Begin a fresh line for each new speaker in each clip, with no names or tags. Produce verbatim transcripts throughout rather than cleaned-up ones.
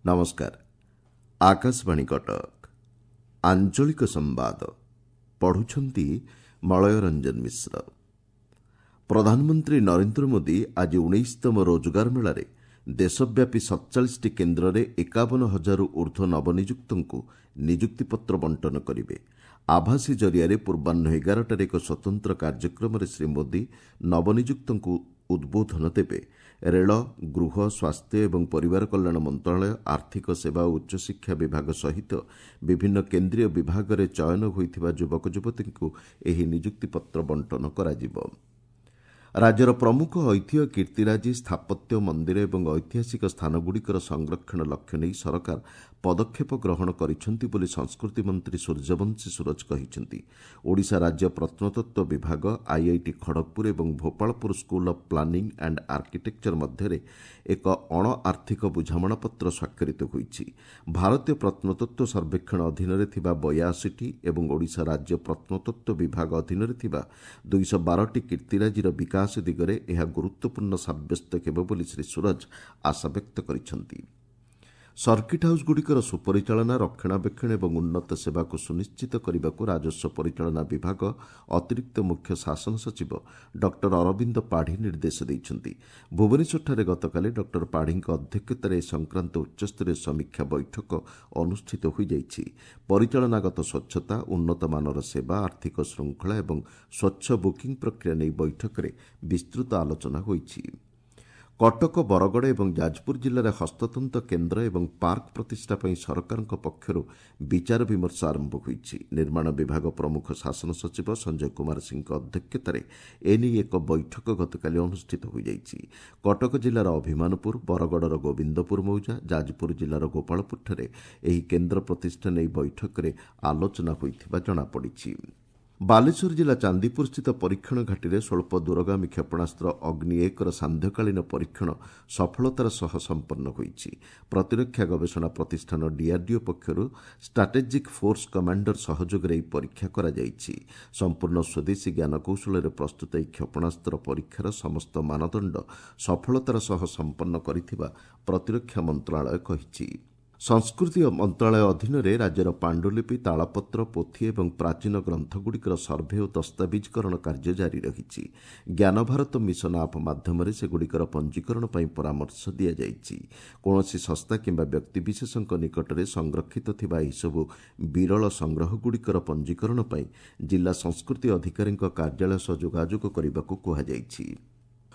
ନମସ୍କାର ଆକାଶବାଣୀ କଟକ ଆଞ୍ଚଳିକ ସମ୍ବାଦ ପଢୁଛନ୍ତି ମଳୟ ରଞ୍ଜନ ମିଶ୍ର ପ୍ରଧାନମନ୍ତ୍ରୀ ନରେନ୍ଦ୍ର ମୋଦି ଆଜି ଉଣେଇଶତମ ରୋଜଗାର ମେଳାରେ ଦେଶବ୍ୟାପୀ ସତଚାଳିଶଟି କେନ୍ଦ୍ରରେ ଏକାବନ ହଜାରରୁ ଉର୍ଦ୍ଧ୍ୱ ନବନିଯୁକ୍ତଙ୍କୁ ନିଯୁକ୍ତିପତ୍ର ବଣ୍ଟନ କରିବେ ଆଭାସୀ ଜରିଆରେ ପୂର୍ବାହ୍ନ ଏଗାରଟାରେ ଏକ ସ୍ୱତନ୍ତ୍ର କାର୍ଯ୍ୟକ୍ରମରେ ଶ୍ରୀ ମୋଦି ନବନିଯୁକ୍ତଙ୍କୁ ଉଦ୍ବୋଧନ ଦେବେ ରେଳ ଗୃହ ସ୍ୱାସ୍ଥ୍ୟ ଏବଂ ପରିବାର କଲ୍ୟାଣ ମନ୍ତ୍ରଣାଳୟ ଆର୍ଥିକ ସେବା ଓ ଉଚ୍ଚଶିକ୍ଷା ବିଭାଗ ସହିତ ବିଭିନ୍ନ କେନ୍ଦ୍ରୀୟ ବିଭାଗରେ ଚୟନ ହୋଇଥିବା ଯୁବକ ଯୁବତୀଙ୍କୁ ଏହି ନିଯୁକ୍ତିପତ୍ର ବଣ୍ଟନ କରାଯିବ ରାଜ୍ୟର ପ୍ରମୁଖ ଐତିହ୍ୟ କୀର୍ତ୍ତିରାଜି ସ୍ଥାପତ୍ୟ ମନ୍ଦିର ଏବଂ ଐତିହାସିକ ସ୍ଥାନଗୁଡ଼ିକର ସଂରକ୍ଷଣ ଲକ୍ଷ୍ୟ ନେଇ ସରକାର ପଦକ୍ଷେପ ଗ୍ରହଣ କରିଛନ୍ତି ବୋଲି ସଂସ୍କୃତି ମନ୍ତ୍ରୀ ସୂର୍ଯ୍ୟବଂଶୀ ସୂରଜ କହିଛନ୍ତି ଓଡ଼ିଶା ରାଜ୍ୟ ପ୍ରତ୍ନତତ୍ତ୍ୱ ବିଭାଗ ଆଇଆଇଟି ଖଡ଼ଗପୁର ଏବଂ Bhopalpur school of planning and architecture ମଧ୍ୟରେ ଏକ ଅଣଆର୍ଥିକ ବୁଝାମଣାପତ୍ର ସ୍ୱାକ୍ଷରିତ ହୋଇଛି ଭାରତୀୟ ପ୍ରତ୍ନତତ୍ତ୍ୱ ସର୍ବେକ୍ଷଣ ଅଧୀନରେ ଥିବା ବୟାଅଶୀଟି ଏବଂ ଓଡ଼ିଶା ରାଜ୍ୟ ପ୍ରତ୍ନତତ୍ତ୍ୱ ବିଭାଗ ଅଧୀନରେ ଥିବା ଦୁଇଶହ ବାରଟି କୀର୍ତ୍ତିରାଜିର ବିକାଶ ଦିଗରେ ଏହା ଗୁରୁତ୍ୱପୂର୍ଣ୍ଣ ସାବ୍ୟସ୍ତ ହେବ ବୋଲି ଶ୍ରୀ ସୂରଜ ଆଶାବ୍ୟକ୍ତ କରିଛନ୍ତି ସର୍କିଟ୍ ହାଉସ୍ଗୁଡ଼ିକର ସୁପରିଚାଳନା ରକ୍ଷଣାବେକ୍ଷଣ ଏବଂ ଉନ୍ନତ ସେବାକୁ ସୁନିଶ୍ଚିତ କରିବାକୁ ରାଜସ୍ୱ ପରିଚାଳନା ବିଭାଗ ଅତିରିକ୍ତ ମୁଖ୍ୟ ଶାସନ ସଚିବ ଡକ୍ଟର ଅରବିନ୍ଦ ପାଢ଼ୀ ନିର୍ଦ୍ଦେଶ ଦେଇଛନ୍ତି ଭୁବନେଶ୍ୱରଠାରେ ଗତକାଲି ଡକ୍ଟର ପାଢ଼ୀଙ୍କ ଅଧ୍ୟକ୍ଷତାରେ ଏ ସଂକ୍ରାନ୍ତ ଉଚ୍ଚସ୍ତରୀୟ ସମୀକ୍ଷା ବୈଠକ ଅନୁଷ୍ଠିତ ହୋଇଯାଇଛି ପରିଚାଳନାଗତ ସ୍ୱଚ୍ଛତା ଉନ୍ନତମାନର ସେବା ଆର୍ଥିକ ଶୃଙ୍ଖଳା ଏବଂ ସ୍ୱଚ୍ଛ ବୁକିଂ ପ୍ରକ୍ରିୟା ନେଇ ବୈଠକରେ ବିସ୍ତୃତ ଆଲୋଚନା ହୋଇଛି କଟକ ବରଗଡ଼ ଏବଂ ଯାଜପୁର ଜିଲ୍ଲାରେ ହସ୍ତତନ୍ତ କେନ୍ଦ୍ର ଏବଂ ପାର୍କ ପ୍ରତିଷ୍ଠା ପାଇଁ ସରକାରଙ୍କ ପକ୍ଷରୁ ବିଚାର ବିମର୍ଶ ଆରମ୍ଭ ହୋଇଛି ନିର୍ମାଣ ବିଭାଗ ପ୍ରମୁଖ ଶାସନ ସଚିବ ସଞ୍ଜୟ କୁମାର ସିଂଙ୍କ ଅଧ୍ୟକ୍ଷତାରେ ଏନେଇ ଏକ ବୈଠକ ଗତକାଲି ଅନୁଷ୍ଠିତ ହୋଇଯାଇଛି କଟକ ଜିଲ୍ଲାର ଅଭିମାନପୁର ବରଗଡ଼ର ଗୋବିନ୍ଦପୁର ମୌଜା ଯାଜପୁର ଜିଲ୍ଲାର ଗୋପାଳପୁରଠାରେ ଏହି କେନ୍ଦ୍ର ପ୍ରତିଷ୍ଠା ନେଇ ବୈଠକରେ ଆଲୋଚନା ହୋଇଥିବା ଜଣାପଡ଼ିଛି ବାଲେଶ୍ୱର ଜିଲ୍ଲା ଚାନ୍ଦିପୁରସ୍ଥିତ ପରୀକ୍ଷଣ ଘାଟିରେ ସ୍ୱଳ୍ପ ଦୂରଗାମୀ କ୍ଷେପଣାସ୍ତ୍ର ଅଗ୍ନି ଏକର ସାନ୍ଧ୍ୟକାଳୀନ ପରୀକ୍ଷଣ ସଫଳତାର ସହ ସମ୍ପନ୍ନ ହୋଇଛି ପ୍ରତିରକ୍ଷା ଗବେଷଣା ପ୍ରତିଷ୍ଠାନ ଡିଆର୍ଡିଓ ପକ୍ଷରୁ ଷ୍ଟ୍ରାଟେଜିକ୍ ଫୋର୍ସ କମାଣ୍ଡର ସହଯୋଗରେ ଏହି ପରୀକ୍ଷା କରାଯାଇଛି ସମ୍ପୂର୍ଣ୍ଣ ସ୍ୱଦେଶୀ ଜ୍ଞାନକୌଶଳରେ ପ୍ରସ୍ତୁତ ଏହି କ୍ଷେପଣାସ୍ତ୍ର ପରୀକ୍ଷାର ସମସ୍ତ ମାନଦଣ୍ଡ ସଫଳତାର ସହ ସମ୍ପନ୍ନ କରିଥିବା ପ୍ରତିରକ୍ଷା ମନ୍ତ୍ରଣାଳୟ କହିଛି ସଂସ୍କୃତି ମନ୍ତ୍ରଣାଳୟ ଅଧୀନରେ ରାଜ୍ୟର ପାଣ୍ଡୁଲିପି ତାଳପତ୍ର ପୋଥି ଏବଂ ପ୍ରାଚୀନ ଗ୍ରନ୍ଥଗୁଡ଼ିକର ସର୍ଭେ ଓ ଦସ୍ତାବିଜକରଣ କାର୍ଯ୍ୟ ଜାରି ରହିଛି ଜ୍ଞାନଭାରତ ମିଶନ ଆପ୍ ମାଧ୍ୟମରେ ସେଗୁଡ଼ିକର ପଞ୍ଜୀକରଣ ପାଇଁ ପରାମର୍ଶ ଦିଆଯାଇଛି କୌଣସି ସଂସ୍ଥା କିମ୍ବା ବ୍ୟକ୍ତିବିଶେଷଙ୍କ ନିକଟରେ ସଂରକ୍ଷିତ ଥିବା ଏହିସବୁ ବିରଳ ସଂଗ୍ରହଗୁଡ଼ିକର ପଞ୍ଜୀକରଣ ପାଇଁ ଜିଲ୍ଲା ସଂସ୍କୃତି ଅଧିକାରୀଙ୍କ କାର୍ଯ୍ୟାଳୟ ସହ ଯୋଗାଯୋଗ କରିବାକୁ କୁହାଯାଇଛି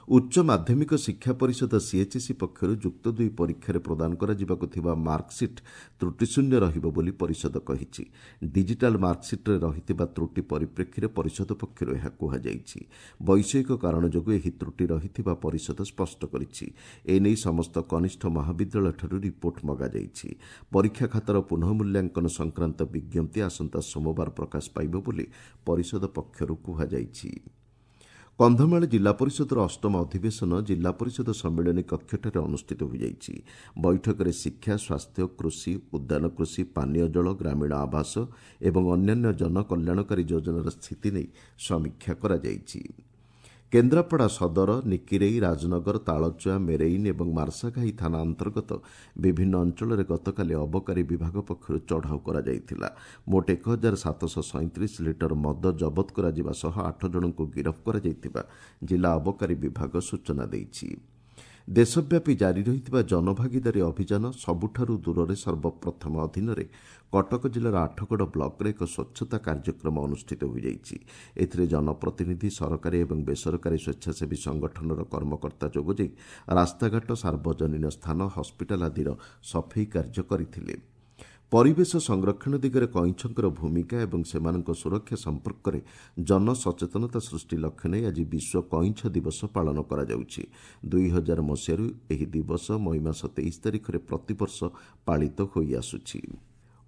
ଉଚ୍ଚ ମାଧ୍ୟମିକ ଶିକ୍ଷା ପରିଷଦ ସିଏଚ୍ଏସ୍ଇ ପକ୍ଷରୁ ଯୁକ୍ତ ଦୁଇ ପରୀକ୍ଷାରେ ପ୍ରଦାନ କରାଯିବାକୁ ଥିବା ମାର୍କସିଟ୍ ତ୍ରୁଟିଶୂନ୍ୟ ରହିବ ବୋଲି ପରିଷଦ କହିଛି ଡିଜିଟାଲ ମାର୍କସିଟ୍ରେ ରହିଥିବା ତ୍ରୁଟି ପରିପ୍ରେକ୍ଷୀରେ ପରିଷଦ ପକ୍ଷରୁ ଏହା କୁହାଯାଇଛି ବୈଷୟିକ କାରଣ ଯୋଗୁଁ ଏହି ତ୍ରୁଟି ରହିଥିବା ପରିଷଦ ସ୍ପଷ୍ଟ କରିଛି ଏନେଇ ସମସ୍ତ କନିଷ୍ଠ ମହାବିଦ୍ୟାଳୟଠାରୁ ରିପୋର୍ଟ ମଗାଯାଇଛି ପରୀକ୍ଷା ଖାତାର ପୁନଃ ମୂଲ୍ୟାଙ୍କନ ସଂକ୍ରାନ୍ତ ବିଜ୍ଞପ୍ତି ଆସନ୍ତା ସୋମବାର ପ୍ରକାଶ ପାଇବ ବୋଲି ପରିଷଦ ପକ୍ଷରୁ କୁହାଯାଇଛି କନ୍ଧମାଳ ଜିଲ୍ଲା ପରିଷଦର ଅଷ୍ଟମ ଅଧିବେଶନ ଜିଲ୍ଲା ପରିଷଦ ସମ୍ମିଳନୀ କକ୍ଷଠାରେ ଅନୁଷ୍ଠିତ ହୋଇଯାଇଛି ବୈଠକରେ ଶିକ୍ଷା ସ୍ୱାସ୍ଥ୍ୟ କୃଷି ଉଦ୍ୟାନ କୃଷି ପାନୀୟ ଜଳ ଗ୍ରାମୀଣ ଆବାସ ଏବଂ ଅନ୍ୟାନ୍ୟ ଜନକଲ୍ୟାଣକାରୀ ଯୋଜନାର ସ୍ଥିତି ନେଇ ସମୀକ୍ଷା କରାଯାଇଛି କେନ୍ଦ୍ରାପଡ଼ା ସଦର ନିକିରେଇ ରାଜନଗର ତାଳଚୁଆ ମେରେଇନ୍ ଏବଂ ମାର୍ଶାଘାଇ ଥାନା ଅନ୍ତର୍ଗତ ବିଭିନ୍ନ ଅଞ୍ଚଳରେ ଗତକାଲି ଅବକାରୀ ବିଭାଗ ପକ୍ଷରୁ ଚଢ଼ାଉ କରାଯାଇଥିଲା ମୋଟ ଏକ ହଜାର ସାତଶହ ସଇଁତିରିଶ ଲିଟର ମଦ ଜବତ କରାଯିବା ସହ ଆଠ ଜଣଙ୍କୁ ଗିରଫ କରାଯାଇଥିବା ଜିଲ୍ଲା ଅବକାରୀ ବିଭାଗ ସୂଚନା ଦେଇଛି ଦେଶବ୍ୟାପୀ ଜାରି ରହିଥିବା ଜନଭାଗିଦାରୀ ଅଭିଯାନ ସବୁଠାରୁ ଦୂରରେ ସର୍ବପ୍ରଥମ ଅଧୀନରେ କଟକ ଜିଲ୍ଲାର ଆଠଗଡ଼ ବ୍ଲକରେ ଏକ ସ୍ୱଚ୍ଛତା କାର୍ଯ୍ୟକ୍ରମ ଅନୁଷ୍ଠିତ ହୋଇଯାଇଛି ଏଥିରେ ଜନପ୍ରତିନିଧି ସରକାରୀ ଏବଂ ବେସରକାରୀ ସ୍ୱେଚ୍ଛାସେବୀ ସଂଗଠନର କର୍ମକର୍ତ୍ତା ଯୋଗଦେଇ ରାସ୍ତାଘାଟ ସାର୍ବଜନୀନ ସ୍ଥାନ ହସ୍ପିଟାଲ ଆଦିର ସଫେଇ କାର୍ଯ୍ୟ କରିଥିଲେ ପରିବେଶ ସଂରକ୍ଷଣ ଦିଗରେ କଇଁଛଙ୍କର ଭୂମିକା ଏବଂ ସେମାନଙ୍କ ସୁରକ୍ଷା ସମ୍ପର୍କରେ ଜନସଚେତନତା ସୃଷ୍ଟି ଲକ୍ଷ୍ୟ ନେଇ ଆଜି ବିଶ୍ୱ କଇଁଛ ଦିବସ ପାଳନ କରାଯାଉଛି ଦୁଇ ହଜାର ମସିହାରୁ ଏହି ଦିବସ ମଇ ମାସ ତେଇଶ ତାରିଖରେ ପ୍ରତିବର୍ଷ ପାଳିତ ହୋଇଆସୁଛି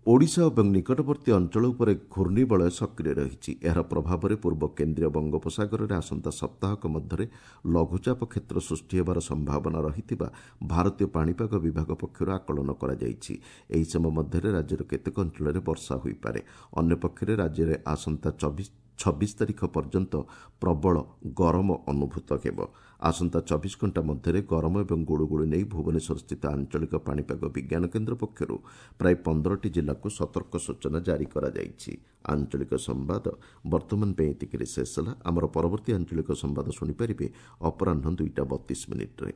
ଓଡ଼ିଶା ଏବଂ ନିକଟବର୍ତ୍ତୀ ଅଞ୍ଚଳ ଉପରେ ଘୂର୍ଣ୍ଣିବଳୟ ସକ୍ରିୟ ରହିଛି ଏହାର ପ୍ରଭାବରେ ପୂର୍ବ କେନ୍ଦ୍ରୀୟ ବଙ୍ଗୋପସାଗରରେ ଆସନ୍ତା ସପ୍ତାହକ ମଧ୍ୟରେ ଲଘୁଚାପ କ୍ଷେତ୍ର ସୃଷ୍ଟି ହେବାର ସମ୍ଭାବନା ରହିଥିବା ଭାରତୀୟ ପାଣିପାଗ ବିଭାଗ ପକ୍ଷରୁ ଆକଳନ କରାଯାଇଛି ଏହି ସମୟ ମଧ୍ୟରେ ରାଜ୍ୟର କେତେକ ଅଞ୍ଚଳରେ ବର୍ଷା ହୋଇପାରେ ଅନ୍ୟପକ୍ଷରେ ରାଜ୍ୟରେ ଆସନ୍ତା ଚବିଶ ଛବିଶ ତାରିଖ ପର୍ଯ୍ୟନ୍ତ ପ୍ରବଳ ଗରମ ଅନୁଭୂତ ହେବ। ଆସନ୍ତା ଚବିଶ ଘଣ୍ଟା ମଧ୍ୟରେ ଗରମ ଏବଂ ଗୁଳୁଗୁଳି ନେଇ ଭୁବନେଶ୍ୱରସ୍ଥିତ ଆଞ୍ଚଳିକ ପାଣିପାଗ ବିଜ୍ଞାନ କେନ୍ଦ୍ର ପକ୍ଷରୁ ପ୍ରାୟ ପନ୍ଦରଟି ଜିଲ୍ଲାକୁ ସତର୍କ ସୂଚନା ଜାରି କରାଯାଇଛି। ଆଞ୍ଚଳିକ ସମ୍ବାଦ ବର୍ତ୍ତମାନ ପାଇଁ ଏତିକିରେ ଶେଷ ହେଲା। ଆମର ପରବର୍ତ୍ତୀ ଆଞ୍ଚଳିକ ସମ୍ବାଦ ଶୁଣିପାରିବେ ଅପରାହ୍ନ ଦୁଇଟା ବତିଶ ମିନିଟ୍ରେ।